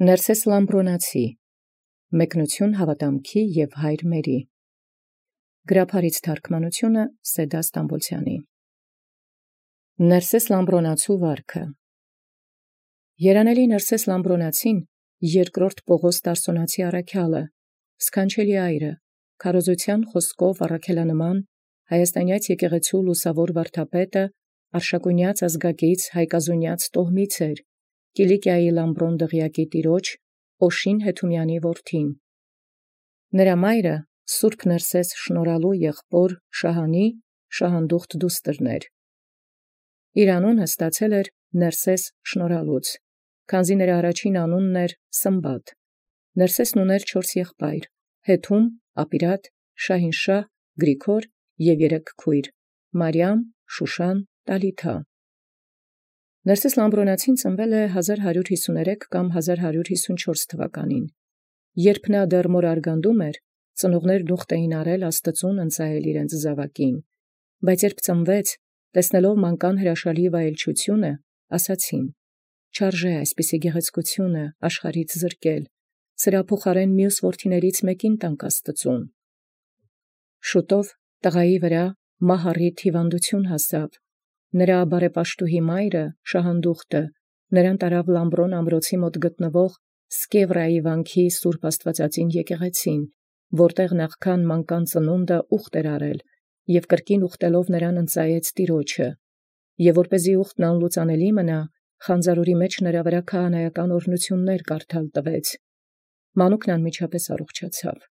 Ներսես Լամբրոնացի մեկնություն հաւատամքի եւ հայր մերի գրաբարից թարգմանությունը Սեդա Ստամբոլցյանի Ներսես Լամբրոնացու վարքը Երանելի Ներսես Լամբրոնացին երկրորդ Պողոս Տարսոնացի առաքյալը սքանչելի այրը քարոզության խոսքով առաքելանման հայաստանյաց եկեղեցու լուսավոր վարդապետը արշակունյաց ազգակից հայկազունյաց տոհմից էր Կիլիկիայի Լամբրոն դղյակի տիրոջ Օշին Հեթումյանի որդին։ Նրա մայրը Սուրբ Ներսես շնորհալու եղբոր Շահանի շահանդուխտ դուստր։ Իր անունը ստացել էր Ներսես շնորհալուց, քանզի նրա առաջին անունն էր Սմբատ։ Ներսեսն ուներ 4 եղբայր՝ Հեթում, Ապիրատ, Շահինշահ, Գրիգոր և 3 քույր՝ Մարիամ, Շուշան, Տալիթա։ Ներսես Լամբրոնացին ծնվել է 1153 կամ 1154 թվականին։ Երբ նա դեռ մոր արգանդում էր, ծնողներն ուխտ էին արել Աստծուն ընծայել իրենց զաւակին, բայց երբ ծնվեց, տեսնելով մանկան հրաշալի վայելչությունը, ասացին. «Չարժե այսպիսի գեղեցկությունը աշխարհից զրկել, սրա փոխարեն մյուս որդիներից մեկին տանք Աստծուն»։ Շուտով տղայի վրա մահառիթ հիվանդություն հասավ։ Նրա բարեպաշտուհի մայրը շահանդուխտը նրան տարավ Լամբրոն ամրոցի մոտ գտնվող Սկևրայի վանքի Սուրբ Աստվածածին եկեղեցին, որտեղ նախքան մանկան ծնունդը ուխտ էր արել, և կրկին ուխտելով նրան ընծայեց Տիրոջը, և որպեսզի ուխտն անլուծանելի մնա, խանձարուրի մեջ նրա վրա քահանայական օրհնություններ կարդալ տվեց։ Մանուկն անմիջապես առողջացավ։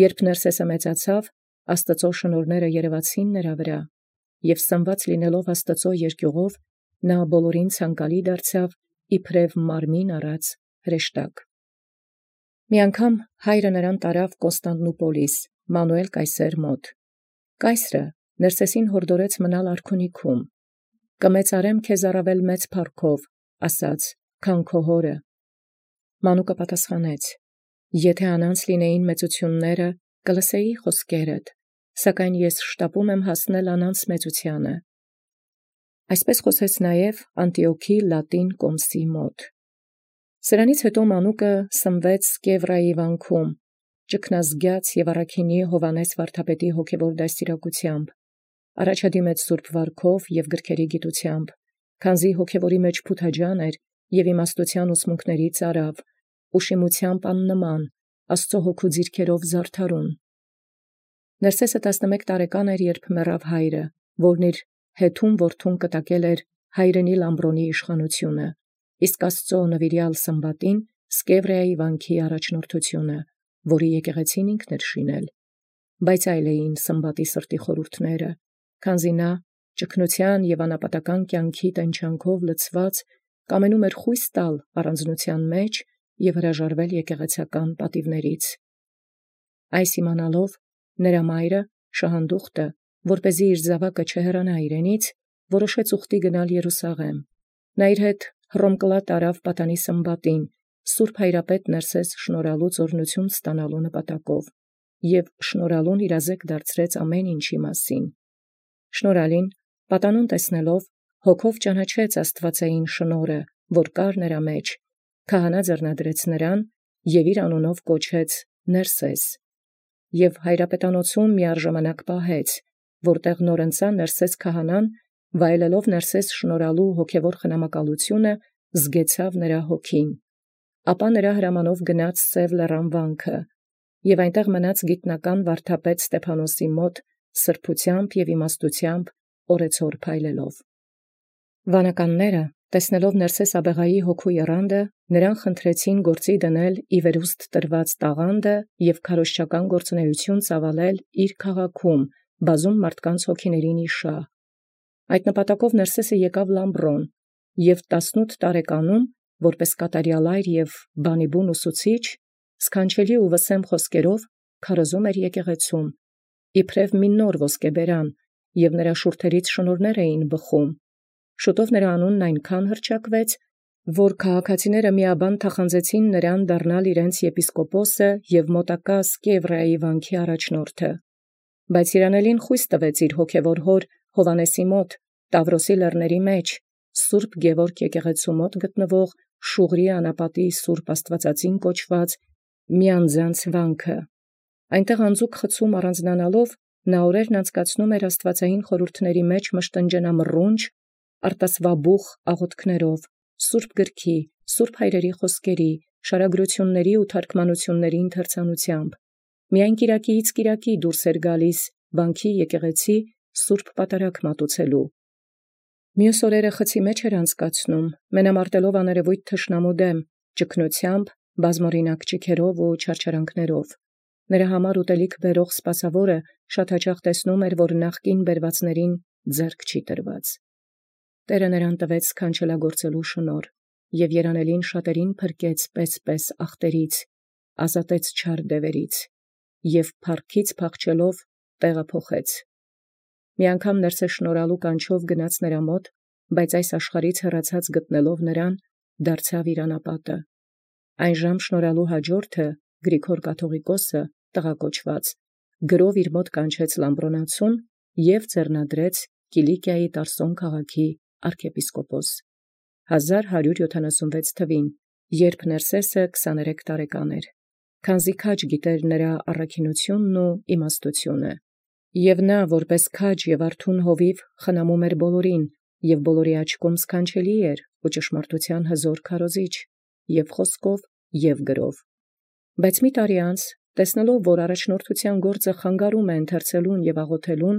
Երբ Ներսեսը մեծացավ, Աստծո շնորհները երևացին նրա վրա, և սնված լինելով Աստծո երկյուղով, նա բոլորին ցանկալի դարձավ իբրև մարմին առած հրեշտակ։ Մի անգամ հայրը նրան տարավ Կոստանդնուպոլիս, Մանուել կայսեր մոտ։ Կայսրը Ներսեսին հորդորեց մնալ արքունիքում։ «Կմեծարեմ քեզ առավել մեծ փառքով, ասաց, քան քո հորը»։ Մանուկը պատասխանեց. «Եթե անանց լինեին մեծությունները, կլսեի խոսքերդ, սակայն ես շտապում եմ հասնել անանց մեծությանը»։ Այսպես խոսեց նաև Անտիոքի Լատին կոմսի մոտ։ Սրանից հետո մանուկը սնվեց Սկևրայի վանքում, ճգնազգյաց և առաքինի Հովհաննես վարդապետի հոգևոր դաստիարակությամբ, առաջադիմեց սուրբ վարքով և գրքերի գիտությամբ, քանզի հոգևորի մեջ փութաջան էր և իմաստության ուսմունքներից արավ, ուշիմությամբ աննման, Աստծո հոգու ձիրքերով զարդարուն։ Ներսեսը 11 տարեկան էր, երբ մեռավ հայրը, որն իր Հեթում որդուն կտակել էր հայրենի Լամբրոնի իշխանությունը, իսկ Աստծո նվիրյալ Սմբատին Սկևրայի վանքի առաջնորդությունը, որի եկեղեցին ինքն էր շինել։ Բայց այլ էին Սմբատի սրտի խորհուրդները, քանզի նա ճգնության և անապատական կյանքի տենչանքով լցված կամենում էր խույս տալ առանձնության մեջ և հրաժարվել եկեղեցական պատիվներից։ Այս իմանալով նրա մայրը շահանդուխտը, որպեսզի իր զաւակը չհեռանա իրենից, որոշեց ուխտի գնալ Երուսաղեմ։ Նա իր հետ Հռոմկլա տարավ պատանի Սմբատին, Սուրբ Հայրապետ Ներսես շնորհալուց օրհնություն ստանալու նպատակով, և շնորհալուն իրազեկ դարձրեց ամեն ինչի մասին։ Շնորհալին պատանուն տեսնելով, հոգով ճանաչեց աստվածային շնորհը, որ կար նրա մեջ, քահանա ձեռնադրեց նրան և իր անունով կոչեց Ներսես, և հայրապետանոցում միառժամանակ պահեց, որտեղ նորընծա Ներսես քահանան, վայելելով Ներսես շնորհալու հոգևոր խնամակալությունը, զգեցավ նրա հոգին։ Ապա նրա հրամանով գնաց Սև լեռան վանքը, և այնտեղ մնաց գիտնական վարդապետ Ստեփանոսի մոտ սրբությամբ և իմաստությամբ օրեցօր փայլելով։ Վանականները, տեսնելով Ներսես աբեղայի հոգու եռանդը, նրան խնդրեցին գործի դնել ի վերուստ տրված տաղանդը և քարոզչական գործունեություն ծավալել իր քաղաքում, բազում մարդկանց հոգիներին իշահ։ Այդ նպատակով Ներսեսը եկավ Լամբրոն և 18 տարեկանում, որպես կատարյալ այր և բանիբուն ուսուցիչ, սքանչելի ու վսեմ խոսքերով քարոզում էր եկեղեցում, իբրև մի նոր ոսկեբերան, և նրա շուրթերից շնորհներ էին բխում։ Շուտով նրա անունն այնքան հռչակվեց, որ քաղաքացիները միաբան թախանձեցին նրան դառնալ իրենց եպիսկոպոսը և մոտակա Սկևրայի վանքի առաջնորդը։ Բայց երանելին խույս տվեց իր հոգևոր հոր Հովհաննեսի մոտ, Տավրոսի լեռների մեջ, Սուրբ Գևորգ եկեղեցու մոտ գտնվող Շուղրի անապատի Սուրբ Աստվածածին կոչված միանձանց վանքը։ Այնտեղ անձուկ խցում առանձնանալով նա օրերն անցկացնում էր աստվածային խորհուրդների մեջ մշտնջենամռունչ, արտասվաբուխ աղոթքներով, Սուրբ գրքի, Սուրբ հայրերի խոսքերի, շարագրությունների ու թարգմանությունների ընթերցանությամբ։ Միայն կիրակիից կիրակի դուրս էր գալիս վանքի եկեղեցի Սուրբ պատարագ մատուցելու։ Մյուս օրերը խցի մեջ էր անցկացնում, մենամարտելով աներևույթ թշնամու դեմ, ճգնությամբ, բազմօրինակ ճիգերով ու չարչարանքներով։ Նրա համար ուտելիք բերող սպասավորը շատ հաճախ տեսնում էր, որ նախկին բերվածներին ձեռք չի տրված։ Տերը նրան տվեց սքանչելագործելու շնորհ, և երանելին շատերին փրկեց պես ախտերից, ազատեց չար դևերից, և փառքից փախչելով տեղը փոխեց։ Մի անգամ ներսը շնորհալու կանչով գնաց նրա մոտ, բայց այս աշխարհից հեռացած գտնելով նրան, դարձավ իր անապատը։ Այնժամ շնորհալու հաջորդը Գրիգոր կաթողիկոսը, տղակոչված, գրով իր մոտ կանչեց Լամբրոնացուն և ձեռնադրեց Կիլիկիայի Տարսոն քաղաքի arczepiskopos 1176 թվին, երբ Ներսեսը 23 տարեկան էր, քանզի քաջ գիտեր նրա առաքինութիւնն ու իմաստութիւնը։ Եւ նա, որպես քաջ եւ արթուն հովիվ, խնամում էր բոլորին, եւ բոլորի աչքում սքանչելի էր ու ճշմարտութեան հզոր քարոզիչ, եւ խոսքով եւ գրով։ Բայց մի տարի անց, տեսնելով, որ առաջնորդութեան գործը խանգարում է ընթերցելուն եւ աղոթելուն,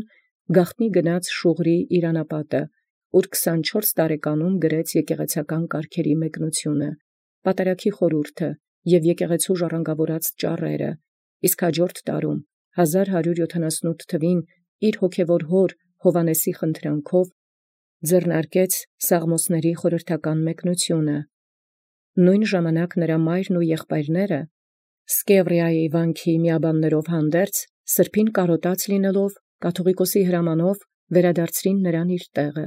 գաղտնի գնաց Շուղրի իր անապատը, ուր 24 տարեկանում գրեց եկեղեցական կարգերի մեկնությունը, պատարագի խորհուրդը եւ եկեղեցու ժառանգավորած ճառերը, իսկ հաջորդ տարում 1178 թվին իր հոգևոր հոր Հովանեսի խնդրանքով ձեռնարկեց Սաղմոսների խորհրդական մեկնությունը։ Նույն ժամանակ նրա մայրն ու եղբայրները Սկևրիայի վանքի միաբաններով հանդերձ սրբին կարոտած լինելով կաթողիկոսի հրամանով վերադարձրին նրան իր տեղը,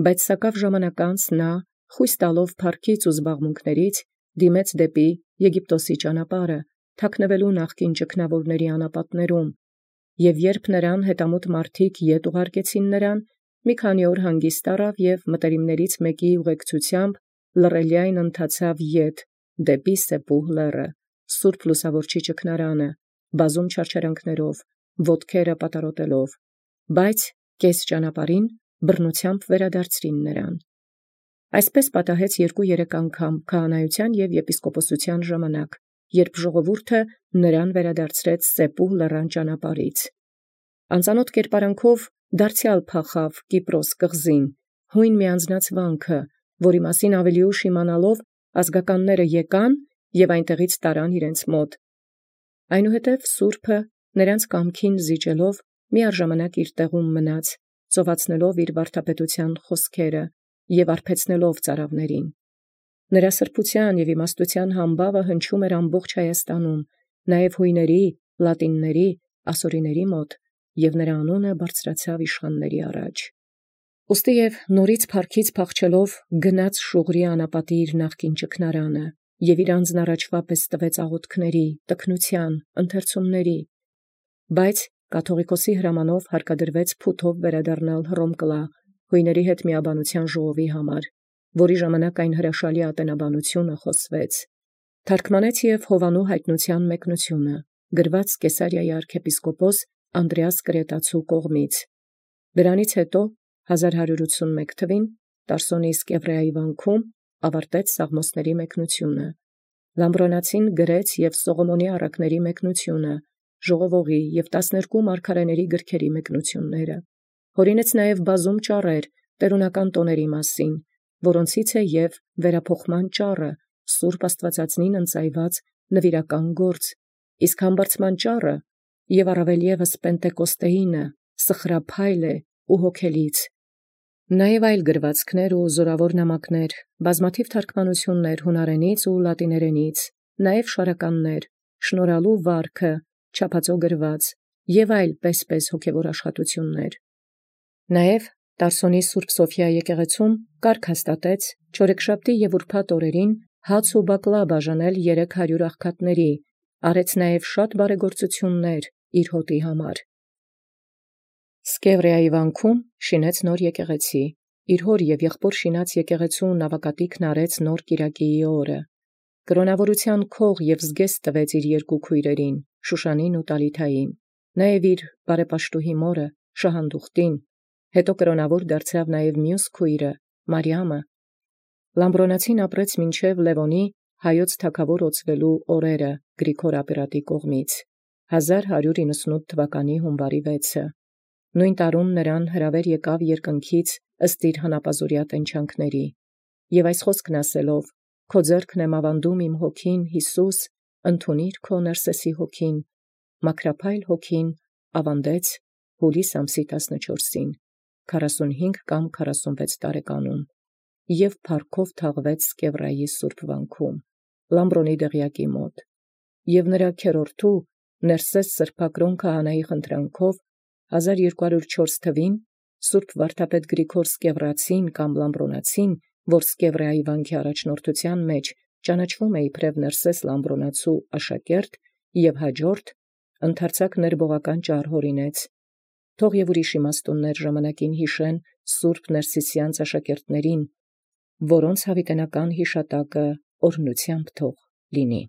բայց սակավ ժամանակ անց նա, խույս տալով փառքից ու զբաղմունքներից, դիմեց դեպի Եգիպտոսի ճանապարհը, թաքնվելու նախկին ճգնավորների անապատներում, եւ երբ նրան հետամուտ մարդիկ ետ ուղարկեցին նրան, մի քանի օր հանգիստ առավ եւ մտերիմներից մեկի ուղեկցությամբ լռելյայն ընթացավ ետ դեպի Սեպուհ լեռը, Սուրբ Լուսավորչի ճգնարանը, բազում չարչարանքներով, ոտքերը պատառոտելով, բայց կես ճանապարհին բռնությամբ վերադարձրին նրան։ Այսպես պատահեց 2-3 անգամ քահանայության եւ եպիսկոպոսության ժամանակ, երբ ժողովուրդը նրան վերադարձրեց Սեպուհ լեռան ճանապարհից։ Անծանոթ կերպարանքով դարձյալ փախավ Կիպրոս կղզին, հույն միանձնած վանքը, որի մասին ավելի ուշ իմանալով ազգականները եկան եւ այնտեղից տարան իրենց մոտ։ Այնուհետև Սուրբը նրանց կամքին զիջելով միառժամանակ իր տեղում մնաց, ծովացնելով իր վարդապետության խոսքերը եւ արբեցնելով ծարավներին։ Նրա սրբության եւ իմաստության համբավը հնչում էր ամբողջ Հայաստանում, նաեւ հույների, լատինների, ասորիների մոտ, եւ նրա անունը բարձրացավ իշխանների առաջ։ Ուստի եւ նորից փառքից փախչելով գնաց Շուղրի անապատի իր նախկին ճգնարանը եւ իր անձն առաջվա պես տվեց աղոթքների, տքնության, ընթերցումների, բայց կաթողիկոսի հրամանով հարկադրվեց փութով վերադառնալ Հռոմկլա հույների հետ միաբանության ժողովի համար, որի ժամանակ այն հրաշալի ատենաբանությունը խոսվեց։ Թարգմանեց եւ Հովանու հայտնության մեկնությունը, գրված Կեսարիայի arczepiskopos Անդրեաս Կրետացու կողմից։ Դրանից հետո 1181 թվին Տարսոնի Սկևրիայի վանքում ավարտեց Սաղմոսների մեկնությունը։ Լամբրոնացին գրեց եւ Սողոմոնի առակների մեկնությունը, ժողովողի եւ 12 մարգարեների գրքերի մեկնությունները։ Հորինեց նաեւ բազում ճառեր տերունական տոների մասին, որոնցից է եւ վերափոխման ճառը, Սուրբ Աստվածածնին ընծայված նվիրական գործ, իսկ համբարձման ճառը եւ առավել եւս Պենտեկոստեինը սխրափայլ է ու հոգելից։ Նաեւ այլ գրվածքներ ու զորավոր նամակներ, բազմաթիվ թարգմանություններ հունարենից ու լատիներենից, նաեւ շարականներ, շնորհալու վարքը, չափածո գրված եւ այլ պես հոգևոր աշխատություններ։ Նաեւ Տարսոնի Սուրբ Սոֆիա եկեղեցում կարգ հաստատեց չորեքշաբթի եւ ուրբաթ օրերին հաց ու բակլա բաժանել 300 աղքատների, արեց նաեւ շատ բարեգործություններ իր հոտի համար։ Սկևրիայի վանքում շինեց նոր եկեղեցի, իր հոր և եղբոր շինած եկեղեցու նավակատիքն արեց նոր կիրակիի օրը, կրոնավորութեան քող և զգեստ տվեց իր երկու քույրերին, Շուշանին ու Տալիթային, նաև իր բարեպաշտուհի մորը Շահանդուխտին, հետո կրոնավոր դարձավ նաև մյուս քույրը Մարիամը։ Լամբրոնացին ապրեց մինչև Լևոնի հայոց թագավոր ոցվելու օրերը Գրիգոր ապերատի կողմից 1198 թվականի հունվարի 6։ Նույն տարուն նրան հրավեր եկավ երկնքից ըստ իր հանապազորյա տենչանքների, և այս խոսքն ասելով. «Քո ձեռքն եմ ավանդում իմ հոգին, Յիսուս, ընդունիր քո Ներսեսի հոգին», մաքրափայլ հոգին ավանդեց հուլիս ամսի 14-ին, 45 կամ 46 տարեկանում, և փառքով թաղվեց Սկևրայի սուրբ վանքում, Լամբրոնի դղյակի մոտ, և նրա քերորդու Ներսես սրբակրոն քահանայի խնդրանքով 1204 թվին Սուրբ վարդապետ Գրիգոր Սկևրացին կամ Լամբրոնացին, որ Սկևրայի վանքի առաջնորդութեան մեջ ճանաչվում է իբրև Ներսես Լամբրոնացու աշակերտ և հաջորդ, ընդարձակ ներբողական ճառ հորինեց։ Թող և ուրիշ իմաստուններ ժամանակին յիշեն Սուրբ Ներսիսյանց աշակերտներին, որոնց յաւիտենական յիշատակը օրհնութեամբ թող լինի։